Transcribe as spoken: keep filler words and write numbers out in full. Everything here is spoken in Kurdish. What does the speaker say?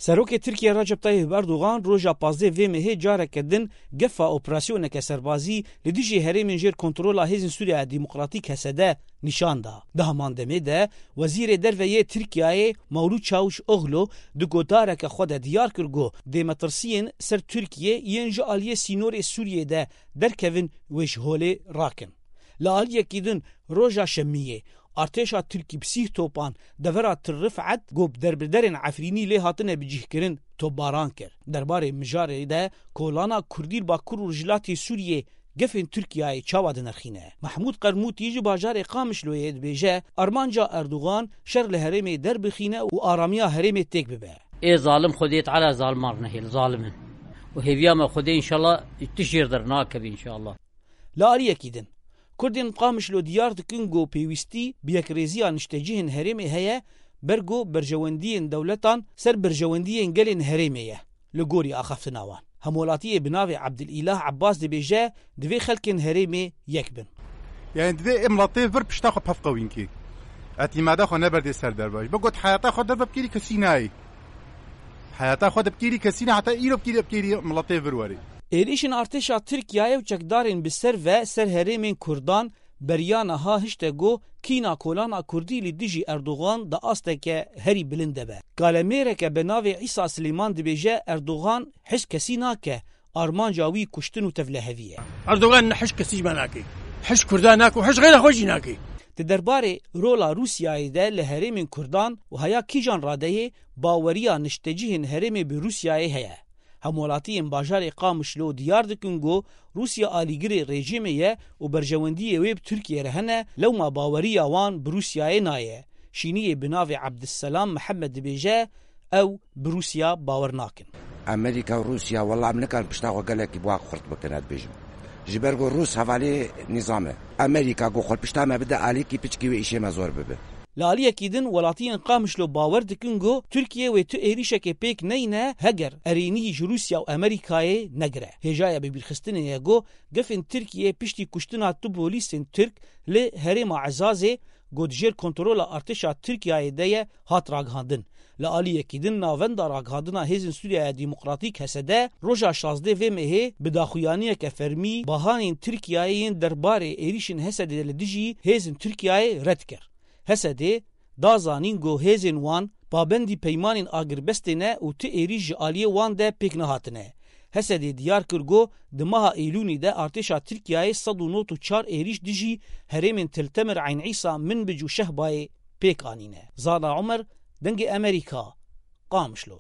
Serokê Tirkiye Recep Tayyip Erdogan roja pazdeh vê mehê careke din gefa operasyoneke serbazî li dijî herêmên jêr kontrola Hêzên Sûriya Demokratîk, H S D, nîşan da. Di heman demê de Wezîrê Derve yê Tirkiyeyê Mevlût Çavuşoglu di gotareke xwe de diyar kir ku dê metirsiyên ser Tirkiye yên ji aliyê sînorê Sûriyê de derkevin wê ji holê rakin. Li aliyekî din, roja Şemiyê artêşa Tirkî bi sîh topan devera Til Rifet ku bi derbiderên Efrînî lê hatine bicihkirin, topbaran kir. Derbarê mijarê de kolana Kurdî li Bakur û Rojhilatê Sûriyê gefên Tirkiyeyê çawa dinirxîne? Mehmûd Qermûtî ji bajarê Qamişloyê dibêje, armanca Erdogan şer li herêmê derbixîne û aramiya herêmê têk bibe. Ê zalim Xwedê Teala zaliman nehêl, zalim in. Û hêviya me Xwedê înşallah tişt jêr dernakeve înşallah. Li aliyekî din, Kurdên Qamişlo diyar dikin ku pêwîstî bi yekrêziya niştecihên herêmê heye, ber ku berjewendiyên dewletan ser berjewendiyên gelên herêmê ye, li gorî axaftina wan. Hemwelatiyê bi navê Ebdilîlah Ebbas dibêje, divê xelkên herêmê yek bin. Yani divê em latê vir pişta xwe pevqewîn kî. Etîmada xwe neberdê ser dervaj. Bigot heyata xwe derve bikêrî kesî nayê. Heyata xwe de bikêrî kesî ne, heta îro bikêrî, bikêrî miletê vir werê. Êrîşên artêşa Tirkiyeyê û çekdarên bi ser ve ser herêmên Kurdan beriya niha hişte ku kîna kolana Kurdî li dijî Erdogan di asteke herî bilind de be. Kalemêreke bi navê Îsa Silêman dibêje, Erdogan hişk kesî nake, armanca wî kuştin û tevlehevî ye. Erdogan ne hişk kesî ji me nake. Hişk Kurda nake û hişk xeyra xwe jî nake. Di derbarê rola Rûsyayê de li herêmên Kurdan û heya kîjan radeyê baweriya niştecihên herêmê bi Rûsyayê heye. Hemwelatiyên bajarê Qamişlo diyar dikin ku Rûsya alîgirê rejîmê ye û berjewendiyê wê bi Tirkiyê re hene, lewma baweriya wan bi Rûsyayê nayê. Şîniyê bi navê Ebdisselam Mihemed dibêje, ew bi Rûsya bawer nakin. Amerîka û Rûsya, wela em nikarin pişta xwe gelekî bi wa xurt bikin, ez dibêjim. Ji ber ku Rûs hevalê nîzam e. Amerîka ku xwe pişta me bide alîkî, piçkî wê îşê me zor bibe. Li aliyekî din, welatiyên Qamişlo bawer dikin ku Tirkiye wê tu êrîşekê pêk neyne, heger erênî ji Rûsya û Amerîkayê negire. Hêjaya bibîrxistinê ye ku gefên Tirkiye piştî kuştina tu polîsên Tirk li herêma Ezazê, ku di jêr kontrola artêşa Tirkiyeyê de ye, hat ragihandin. Li aliyekî din, Navenda Ragihandina Hêzên Sûriyeya Demokratîk, H S D, roja şazdeh vê mehê bi daxuyaniyeke fermî bahanên Tirkiyeyê yên derbarê êrîşên H S D li dijî hêzên Tirkiyeyê red kir. H S D da zanîn ku hêzên wan pabendî peymanên agirbestê ne û ti êrîş ji aliyê wan de pêk nehatine. H S D diyar kir ku di meha Eylûnê de artêşa Tirkiyeyê sed û nod û çar êrîş dijî herêmên Til Temir, Eyn Îsa, Minbic û Şehbayê pêk anîne. Zana Omer, Dengê Amerîka, Qamişlo.